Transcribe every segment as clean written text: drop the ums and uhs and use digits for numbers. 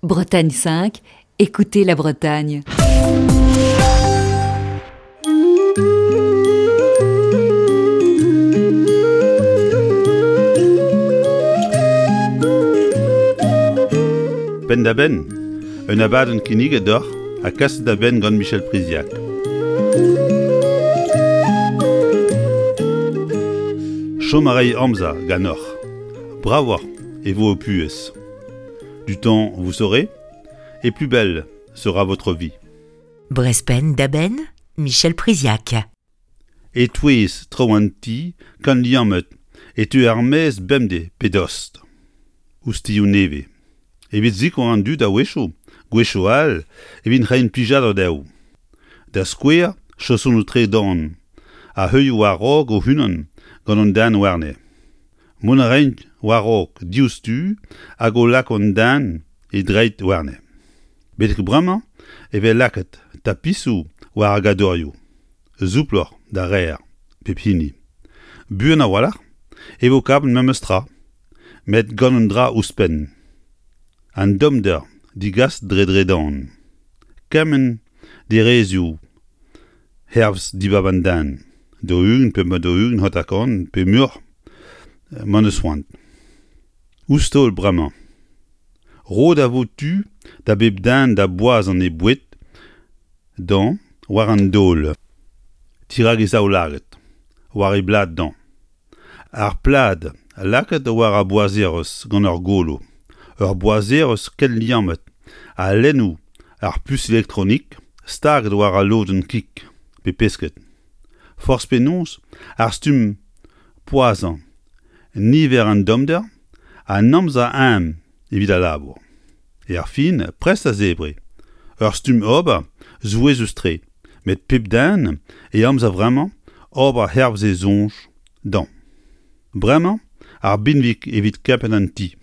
Bretagne 5, écoutez la Bretagne. Penn-da-benn, un abadenn kinniget deoc'h ha kaset da benn gant Michel Priziac. Chom a ray amzer ganeoc'h. Bravoc'h e vo ho puhez. Du temps vous serez, et plus belle sera votre vie. Brest penn-da-benn, Michel Priziac. E-touez traoù an ti kant liammet e teu er-maez bemdez pe dost ouzh tioù nevez. Evit sikour an dud a-wechoù, gwechoù all evit reiñ plijadur dezho. Da skouer, chaosonoù tredan a heuilh war-raok o-unan gant an den warne. Mont a raint war-raok diouzhtu hag o lako an den e dreid warne. Betek bremañ e vez lakaet tapisoù war ar gadorioù, souploc'h da reer pep hini. Buan a-walc'h e vo kavet memes tra, met gant un dra ouzhpenn, an tommder degaset dre dredan. Kement derezioù hervez dibab an den, 40 pe 40 hanter-kant pe muioc'h m'en deus c'hoant. Ouzh taol bremañ. Roet a vo tu da bep den da boazhañ e boued dañ war an daol, dirak e zaoulagad, war e blad dañ. Ar plad lakaet war ar boazerezh gant ur golo, ur boazerezh ken liammet ha lennoù ar pus elektronik staget war al lodenn kig pe pesked. Forzh penaos, ar stumm poazhañ, niver an tommder, an amzer eeun evit al labour. Erfin, prest da zebriñ. Ur stumm ober souezhus-tre, met pep den e amzer vremañ ober hervez e soñj dezhañ. Bremañ ar binvig evit kempenn an ti.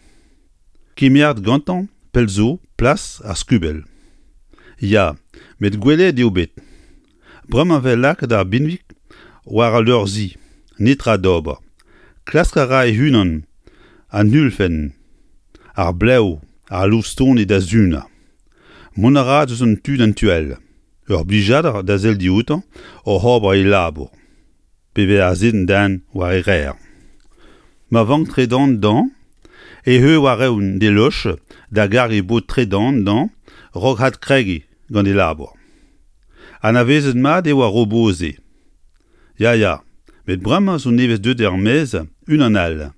Kemeret gantañ pell zo plas ar skubell. Ya, met gwelet eo bet. Bremañ 'vez lakaet ar binvig war al leur-zi, netra d'ober. Klask a ra e-unan an ulfenn, ar blev, ar loustoni da sunañ. Mont a ra deus un tu d'an tu all. Ur blijadur da sell dioutañ oc'h ober e labour. Pe vez aze an den war e reer. Ma vank tredan dañ e heu war-eeun d'e loch da gargiñ bod tredan dañ 'raok adkregiñ gant e labour. Anavezet mat eo ar robot-se. Ya, ya, met bremañ zo nevez deuet er-maez unan all,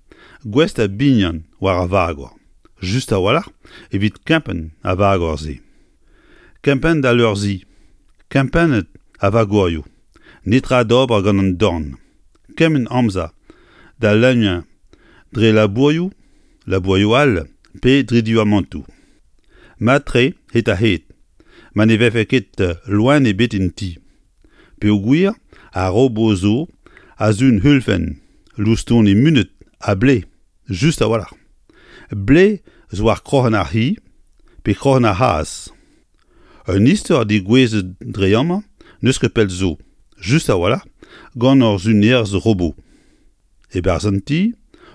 gouest da bignan war ar vagor, just a-walc'h evit kempenn ar vagor-se. Kempenn da leur-zi, kempennet a vagorioù, netra d'ober gant an dorn, kement amzer da leuniañ dre labourioù, labourioù all pe dre duamantoù. Mat-tre hed-ha-hed, ma ne vefe ket loen ebet en ti, peogwir ar robot zo a sun ulfenn, loustoni munut ha blez, just a-walc'h. Blez zo war kroc'hen ar c'hi pe kroc'hen ar c'hazh. Un istor degouezhet dre amañ n'eus ket pell zo, just a-walc'h, gant ur sunerez robot. E-barzh an ti,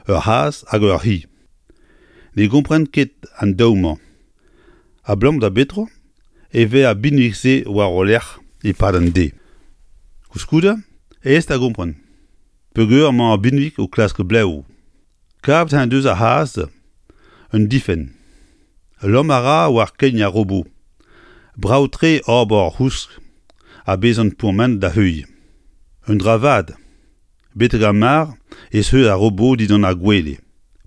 ur c'hazh hag ur c'hi. Ne gompren ket an daou-mañ. Abalamour da betra e vez ar binvig-se war o lerc'h e-pad an deiz. Koulskoude, aes da gompren. Peogwir emañ ar binvig o klask blev. Kavet en deus ar c'hazh un difenn. Lamm a ra war kein ar robot. Brav-tre ober ur c'housk ha bezañ pourmenet da heuilh. Un dra vat, betek ar mar ez eus ar robot dindan ar gwele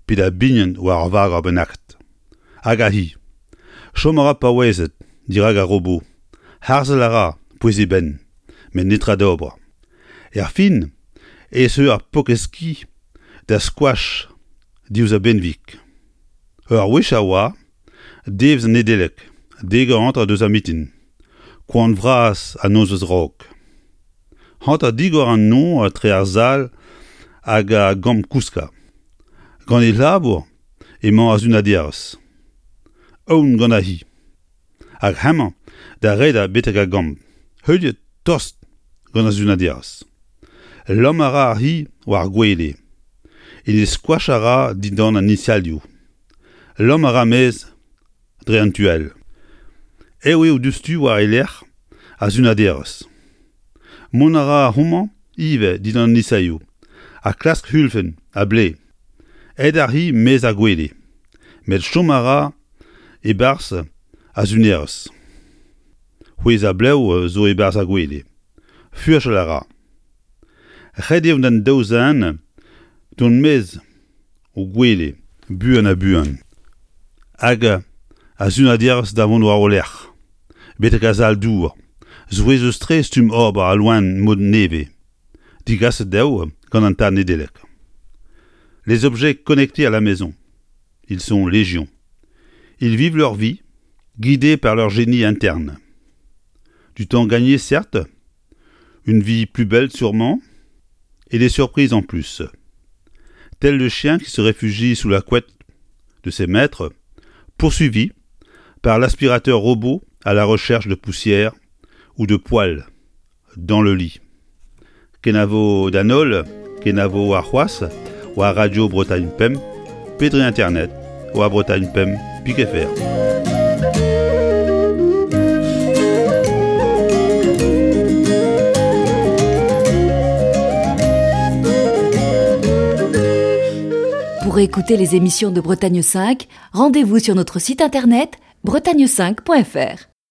pe da bignan war ur vagor bennaket. Hag ar c'hi. Chom a ra paouezet dirak ar robot. Harzel a ra pouez e benn, met netra d'ober. Erfin ez eo ar paourkaezh-ki da skoach diouzh ar benveg. Ur wech a oa, devezh an Nedeleg, dek eur hanter deus ar mintin, koan vras an nozvezh 'raok. Hanter digor an nor etre ar sal hag ar gambr-kouskañ. Gant e labour emañ ar sunaderez. Aon gant ar c'hi. Hag hemañ da redañ betek ar gambr, heuliet tost gant ar sunaderez. Lamm a ra ar c'hi war ar gwele. En e skoach a ra dindan an iñsalioù. Lamm a ra 'maez dre an tu all. Aet eo diouzhtu war e lerc'h ar sunaderez. Mont a ra homañ ivez dindan an isaioù ha klask hulfenn ha blev. Aet ar c'hi 'maez ar gwele, met chom a ra e-barzh ar sunerez. C'hwezhañ blev zo e-barzh ar gwele. Furchal a ra. Ret eo d'an daou zen dont 'maez o gwele buan ha buan. Hag ar sunaderez da vont war o lerc'h, betek ar sal-dour. Souezhus-tre stumm ober al loen mod nevez, digaset dezho gant an tad Nedeleg. Les objets connectés à la maison, ils sont légion. Ils vivent leur vie, guidés par leur génie interne. Du temps gagné, certes, une vie plus belle sûrement, et des surprises en plus. Tel le chien qui se réfugie sous la couette de ses maîtres, poursuivi par l'aspirateur robot à la recherche de poussière ou de poils dans le lit. Kenavo d'an holl, kenavo warc'hoazh war Radio Bretagne Pemp pe dre internet war Bretagne Pemp pik fr. Pour écouter les émissions de Bretagne 5, rendez-vous sur notre site internet bretagne5.fr.